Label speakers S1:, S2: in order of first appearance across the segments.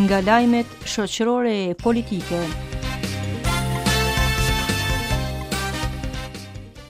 S1: Nga lajmet shoqërore e politike.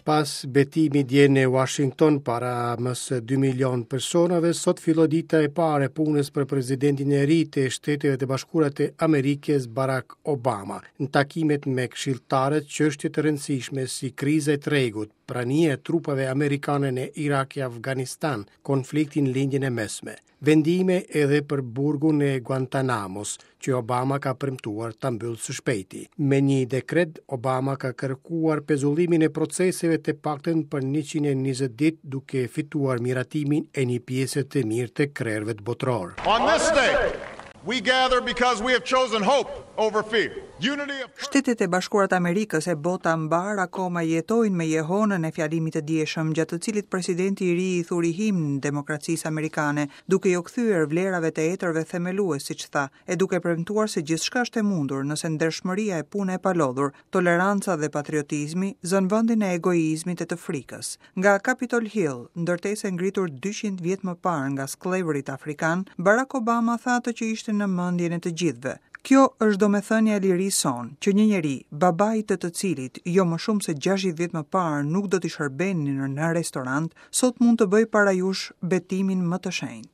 S2: Pas betimit dje në Washington para më se 2 milion personave, sot filloi dita e parë e punës për presidentin e ri të Shteteve të Bashkuara të Amerikës, Barack Obama. Në takimet me këshilltarët, çështje të rëndësishme si kriza e tregut, prania e trupave amerikane në Irak e Afganistan, konflikti në Lindjen e Mesme. Vendime edhe për burgun e Guantanamos, që Obama ka premtuar ta mbyllë së shpejti. Me një dekret, Obama ka kërkuar pezullimin e proceseve të paktën për 120 ditë duke fituar miratimin e një pjese të mirë të krerëve botërorë.
S3: On this day, we gather because we have chosen hope over fear. Unity of
S4: Shtetet e Bashkuara të Amerikës e bota mbarë akoma jetojnë me jehonën e fjalimit të djeshëm, gjatë të cilit presidenti i ri i thuri himn demokracisë amerikane, duke iu kthyer vlerave të etërve themelues, siç tha, e duke premtuar se gjithçka është e mundur nëse ndershmëria e puna e palodhur, toleranca dhe patriotizmi zënë vendin e egoizmit e të frikës. Nga Capitol Hill, ndërtesë e ngritur 200 vjet më parë nga skllevërit afrikanë, Barack Obama tha atë që ishte në mendjen e të gjithëve. Kjo është domethënia e lirisë sonë, që një njeri, babai të të cilit jo më shumë se 60 vjet më parë nuk do t'i shërbenin në restorant, sot mund të bëjë para jush betimin më të shenjtë.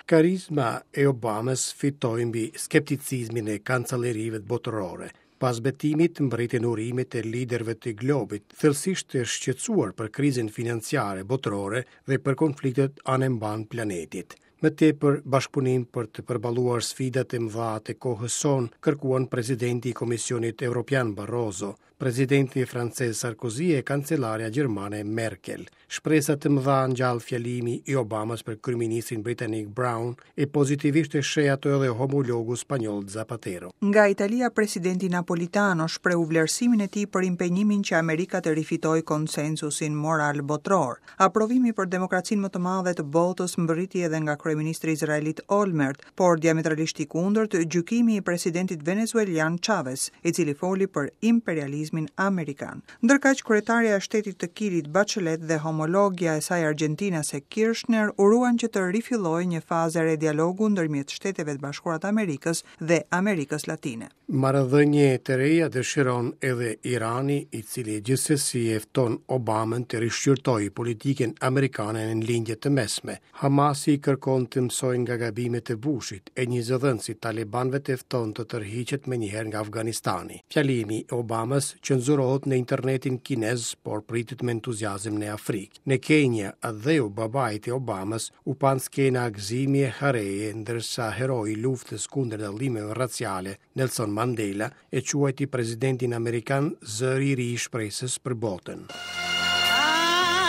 S2: Karizma e Obamës fitoi mbi skepticizmin e kancelerive botërore. Pas betimit mbërritën urimet e liderëve të globit, thellësisht të shqetësuar për krizën financiare botërore dhe për konfliktet anembanë planetit. Më tepër bashkëpunim për të përballuar sfidat e mëdha të kohës sonë, kërkuan presidenti i Komisionit Evropian Barroso, presidenti francez Sarkozy e kancelarja gjermane Merkel. Shpresa të mëdha ngjall fjalimi i Obamës për kryeministrin britanik Brown e pozitivisht e sheh ato edhe homologu spanjoll Zapatero.
S4: Nga Italia, presidenti Napolitano shprehu vlerësimin e tij për impenjimin që Amerika të rifitojë konsensusin moral botëror. Aprovimi për demokracinë më të madhe të botës mbërriti edhe nga kryeministri izraelit Olmert, por diametralisht i kundërt gjykimi i presidentit venezuelian Chavez, i cili foli për imperializmin amerikan. Ndërkaq, kryetarja e shtetit të Kilit Bachelet dhe homologja e saj argjentinase Kirchner uruan që të rifillojë një fazë e re dialogu ndërmjet Shteteve të Bashkuara të Amerikës dhe Amerikës Latine.
S2: Marrëdhënie të reja dëshiron edhe Irani, i cili gjithsesi e fton Obamën të rishqyrtojë politikën amerikane në lindje të mesme. Hamasi kërkon të mësojë nga gabimet e Bushit, e një zëdhënës i talibanëve e fton të tërhiqet menjëherë nga Afganistani. Fjalimi i Obamës cenzurohet në internetin kinez, por pritet me entuziazëm në Afrikë. Në Kenya, atdheu babait të Obamës, u panë skena gëzimi e hareje, ndërsa heroi i luftës kundër dallimeve raciale, Nelson Mandela, e quajti presidentin amerikan zëri i ri i shpresës për botën.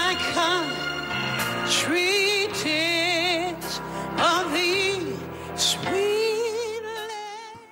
S5: I come treatise of thee, sweet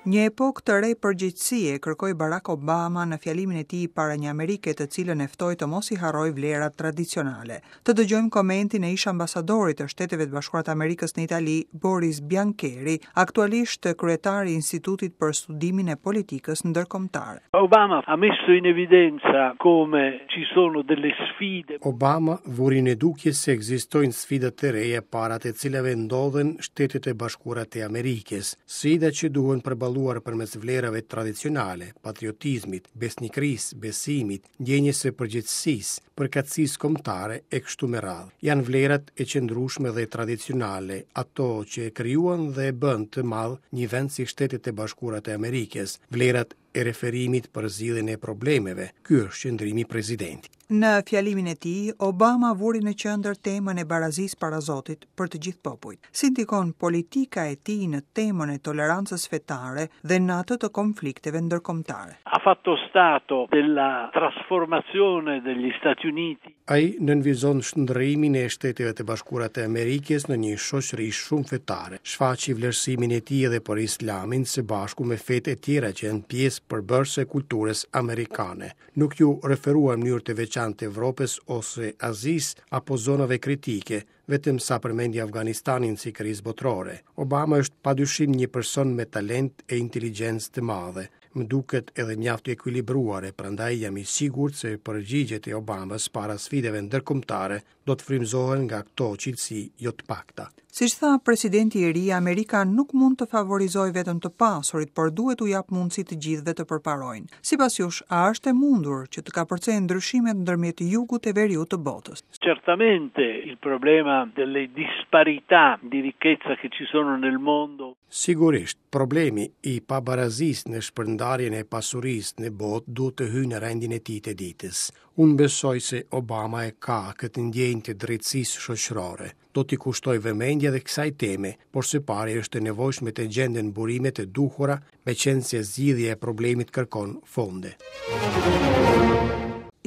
S4: Një epokë të re përgjegjësie kërkoi Barack Obama në fjalimin e tij para një Amerike të cilën e ftoi të mos i harrojë vlerat tradicionale. Të dëgjojmë komentin e ish ambasadorit të Shteteve të Bashkuara të Amerikës në Itali, Boris Biancheri, aktualisht kryetar i Institutit për Studimin e Politikës Ndërkombëtare.
S6: Obama ha messo in evidenza come ci sono delle sfide.
S2: Obama vuri në dukje se ekzistojnë sfida të reja para të cilave ndodhen Shtetet e Bashkuara të Amerikës, sfida që duhen përballuar përmes vlerave tradicionale, patriotizmit, besnikërisë, besimit, ndjenjës së përgjegjësisë, përkatësisë kombëtare e kështu me radhë. Janë vlerat e qëndrueshme dhe tradicionale, ato që e krijuan dhe e bënë të madh një vend si Shtetet e Bashkuara të Amerikës, vlerat e referimit për zgjidhjen e problemeve. Ky është qëndrimi i presidentit.
S4: Në fjalimin e tij, Obama vuri në qendër temën e barazisë para Zotit për të gjithë popujt. Si ndikon politika e tij në temën e tolerancës fetare dhe në atë të konflikteve ndërkombëtare.
S6: Ha fatto stato della trasformazione degli Stati Uniti.
S2: Ai nënvizon shndërrimin e Shteteve të Bashkuara të Amerikës në një shoqëri shumë fetare. Shfaqi vlerësimin e tij edhe për Islamin së bashku me fetë e tjera që janë pjesë përbërëse e kulturës amerikane. Nuk iu referua në mënyrë të veçantë Evropës ose Azisë apo zonave kritike, vetëm sa përmendi Afganistanin si krizë botërore. Obama është padyshim një person me talent e inteligjencë të madhe. Më duket edhe mjaft i ekuilibruar e prandaj jam i sigurt se përgjigjet e Obamës para sfidave ndërkombëtare do të frymëzohen nga këto cilësi jo të pakta.
S4: Siç tha presidenti i ri, Amerika nuk mund të favorizojë vetëm të pasurit, por duhet t'u japë mundësi të gjithëve të përparojnë. Sipas jush, a është e mundur që të kapërcehen ndryshimet ndërmjet jugut e veriut të botës?
S6: Certamente il problema delle disparità di ricchezza che ci sono nel mondo.
S2: Sigurisht, problemi i pabarazisë në shpërndarjen e pasurisë në botë duhet të hyjë në rendin e tij të ditës. Unë besoj se Obama e ka këtë ndjenjë të drejtësisë shoqërore. Do t'i kushtojë vëmendje edhe kësaj teme, por së pari është e nevojshme të gjenden burimet e duhura, meqenëse zgjidhja e problemit kërkon fonde.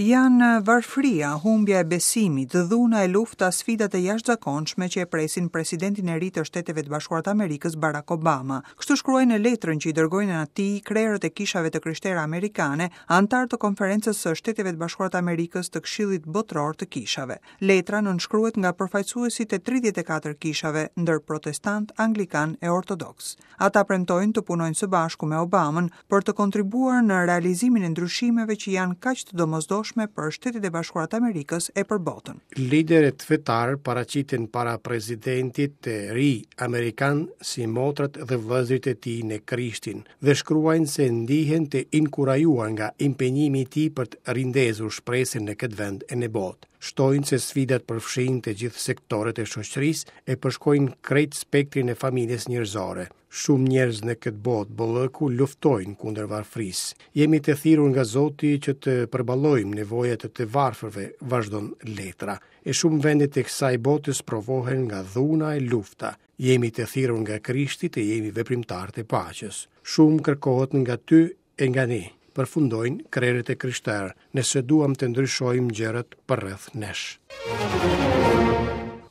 S4: Janë varfëria, humbja e besimit, dhuna e lufta sfidat e jashtëzakonshme që e presin presidentin e ri të Shteteve të Bashkuara të Amerikës, Barack Obama. Kështu shkruajnë në letrën që i dërgojnë atij krerët e kishave të krishtera amerikane, anëtarë të Konferencës së Shteteve të Bashkuara të Amerikës të Këshillit Botëror të Kishave. Letra nënshkruhet nga përfaqësuesit e 34 kishave, ndër protestantë, anglikanë e ortodoksë. Ata premtojnë të punojnë së bashku me Obamën për të kontribuar në realizimin e ndryshimeve që janë kaq të domosdoshme për Shtetet e Bashkuara të Amerikës e për
S2: botën. Liderët fetarë paraqiten para presidentit të ri amerikan si motrat dhe vëllezërit e tij në Krishtin dhe shkruajnë se ndihen të inkurajuar nga impenjimi i tij për të rindezur shpresën në këtë vend e në botë. Shtojnë se sfidat përfshijnë të gjithë sektorët e shoqërisë e përshkojnë krejt spektrin e familjes njerëzore. Shumë njerëz në këtë botë bollëku luftojnë kundër varfërisë. Jemi të thirrur nga Zoti që të përballojmë nevojat e të varfërve, vazhdon letra. E shumë vende të kësaj bote sprovohen nga dhuna e lufta. Jemi të thirrur nga Krishti të jemi veprimtarë të paqes. Shumë kërkohet nga ty e nga ne, përfundojnë krerët e krishterë, nëse duam të ndryshojmë gjërat përreth
S4: nesh.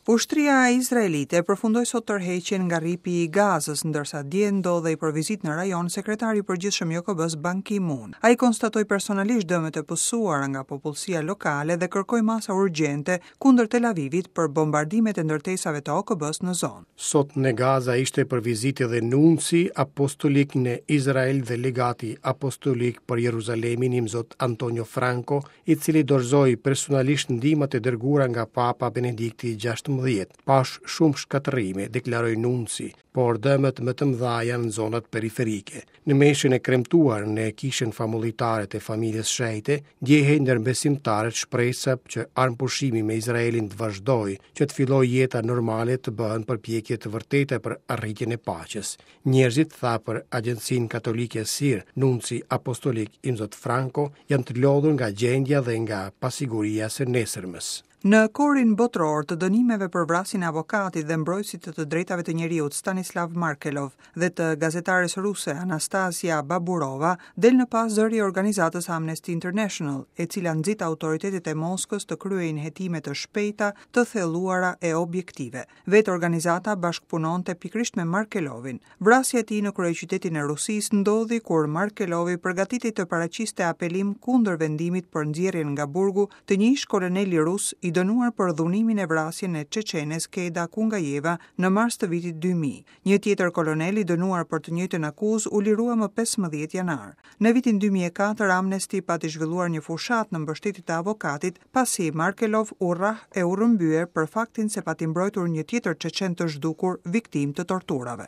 S4: Ushtria izraelite përfundoi sot tërheqjen nga rripi i Gazës, ndërsa dje ndodhej për vizitë në rajon sekretari i përgjithshëm i OKB-së Ban Ki-moon. Ai konstatoi personalisht dëmet e pësuara nga popullsia lokale dhe kërkoi masa urgjente kundër Tel Avivit për bombardimet e ndërtesave të OKB-së në
S2: zonë. Sot në Gaza ishte për vizitë edhe nunci apostolik në Izrael dhe legati apostolik për Jeruzalemin imzot Antonio Franco, i cili dorëzoi personalisht ndihmat e dërguara nga Papa Benedikti XVI. Pashë shumë shkatërrime, deklaroi nunci, por dëmet më të mëdha janë në zonat periferike. Në meshën e kremtuar në kishën famullitare të familjes shenjte, ndjehej ndër besimtarët shpresa që armëpushimi me Izraelin të vazhdojë, që të fillojë jeta normale të bëhen përpjekje të vërteta për arritjen e paqes. Njerëzit, tha për agjencinë katolike SIR, nunci apostolik Imzot Franco, janë të lodhur nga gjendja dhe nga pasiguria e së nesërmes.
S4: Në korin botëror të dënimeve për vrasjen e avokatit dhe mbrojtësit të të drejtave të njeriut Stanislav Markelov dhe të gazetares ruse Anastasia Baburova, del në pah zëri i organizatës Amnesty International, e cila nxit autoritetet e Moskës të kryejnë hetime të shpejta, të thelluara e objektive. Vetë organizata bashkëpunonte pikërisht me Markelovin. Vrasja e tij në kryeqytetin e Rusisë ndodhi kur Markelovi përgatitej të paraqiste apelim kundër vendimit për nxjerrjen nga burgu të një ish-koloneli rus i dënuar për dhunimin e vrasjen e çeçenes Keda Kungajeva në mars të vitit 2000. Një tjetër kolonel i dënuar për të njëjtën akuzë u lirua më 15 janar. Në vitin 2004 Amnesty pati zhvilluar një fushatë në mbështetje të avokatit pasi Markelov u rrah e u rrëmbye për faktin se pati mbrojtur një tjetër çeçen të zhdukur, viktimë të torturave.